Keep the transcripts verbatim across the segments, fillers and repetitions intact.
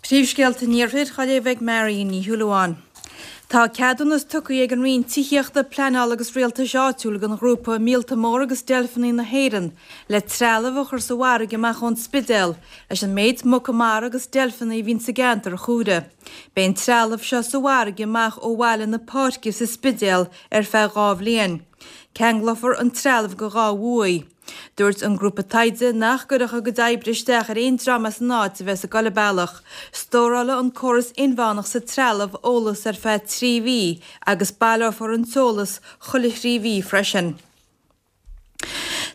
Príomhscéalta an Iarthair á léamh ag Marion Ní Shúilleabháin. Tá ceadúnas tugtha ag an Roinn Tithíochta, Pleanála agus Rialtais Áitiúil don ghrúpa Míolta Móra agus Deilfeanna na hÉireann le trealamh a chur sa bhfarraige amach ón Spidéal leis an méid muca mara agus deilfeanna a bhíonn sa gceantar a chomhaireamh. Beidh an trealamh seo sa bhfarraige amach ó bhaile na Páirce sa Spidéal ar feadh dhá bhliain. Ceanglófar an trealamh go dhá bhuaí. Dúirt an grúpa taighde nach gcuirfeadh a gcuid oibre isteach ar aon dream as an áit a bheas ag dul an bealach. Stórálfaidh an córas inmheánach sa trealamh eolas ar feadh trí mhí agus baileofar an t-eolas chuile thrí mhí freisin.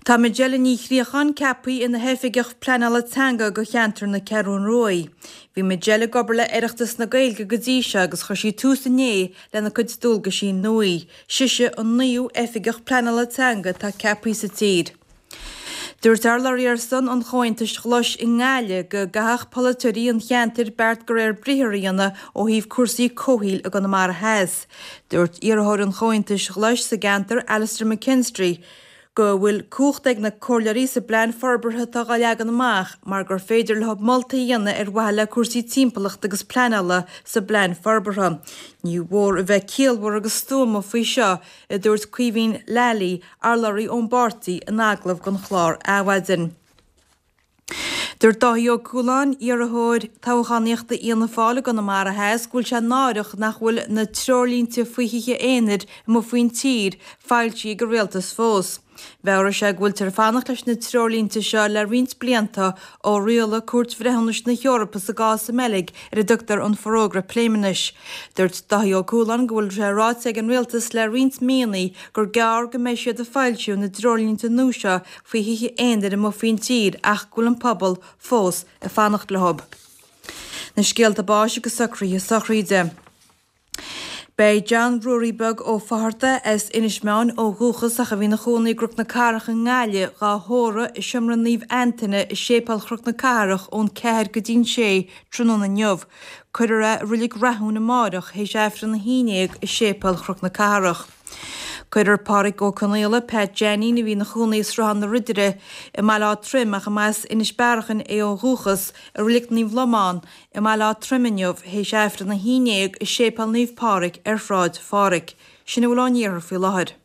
Tá Majella Ní Chríocháin ceaptha ina hoifigeach pleanála teanga do cheantar na Ceathrún Rua. Bhí Majella ag obair le Oireachtas na Gaeilge go dtí seo agus chuir sí tús inné lena cuid dualgaisí nua. Sise an naoú oifigeach pleanála teanga atá ceaptha sa tír. Dúirt urlabhraí ar son an Chomhaontais Ghlais i nGaillimh go gcaithfeadh polaiteoirí an cheantair beart de réir briathair a dhéanamh ó thaobh cúrsaí comhshaoil i gConamara Theas. Dúirt iarrthóir an Chomhaontais Ghlais sa gceantar Alastair McKinstry go bhfuil cumhacht ag na comhairleoirí sa bplean forbartha atá á leagan amach mar gur féidir leo moltaí a dhéanamh ar mhaithe le cúrsaí timpeallachta agus pleanála sa bplean forbartha. Ní mhór a bheith ciallmhar agus stuama faoi seo, a dúirt Caoimhín Lally, urlabhraí ón bpáirtí in agallamh don chlár Adhmhaidin. Dúirt Dáithí Ó Cualáin, iarrthóir toghchánaíochta Fhianna Fáil i gConamara Theas, go bhfuil sé náireach nach bhfuil na treoirlínte faoi thithe aonair amuigh faoin tír foilsithe ag an rialtas fós. Mheabhraigh sé go bhfuiltear ag fanacht leis na treoirlínte seo le roinnt blianta ó rialaigh Cúirt Bhreithiúnais na hEorpa sa gcás sa mBeilg ar a dtugtar an Forógra Pléimeannais. Dúirt Dáithí Ó Cualáin go bhfuil sé ráite ag an rialtas le roinnt míonna gur gearr go mbeidh siad ag foilsiú na dtreoirlínte nua seo faoi thithe aonair amuigh faoin tír ach go bhfuil an pobal fós ag fanacht leo. Na scéalta báis agus socruithe sochraide. Beidh John Ruairí Beag Ó Fátharta as Inis Meáin ó dhúchas ach a bhí ina chónaí i gCnoc na Cathrach i nGaillimh dhá thórramh i Seomra Naomh Antaine i Séipéal Chnoc na Cathrach ón ceathair go dtí'n sé tráthnóna inniu. Cuirfear é i Reilig Rathúin amáireach théis Aifreann a haon déag i Séipéal Chnoc na Cathrach. Cuirfear Pádraig Ó Conaola, Pat Jeainín, a bhí ina chónaí i Sruthán na Ridire i mBaile Átha Troim ach a mb'as Inis Bearachain é ó dhúchas, i Reilig Naomh Lomán i mBaile Átha Troim inniu théis Aifreann a haon déag i Séipéal Naomh Pádraig ar Shráid Phádraig. Sin a bhfuil ón iarthar faoi láthair.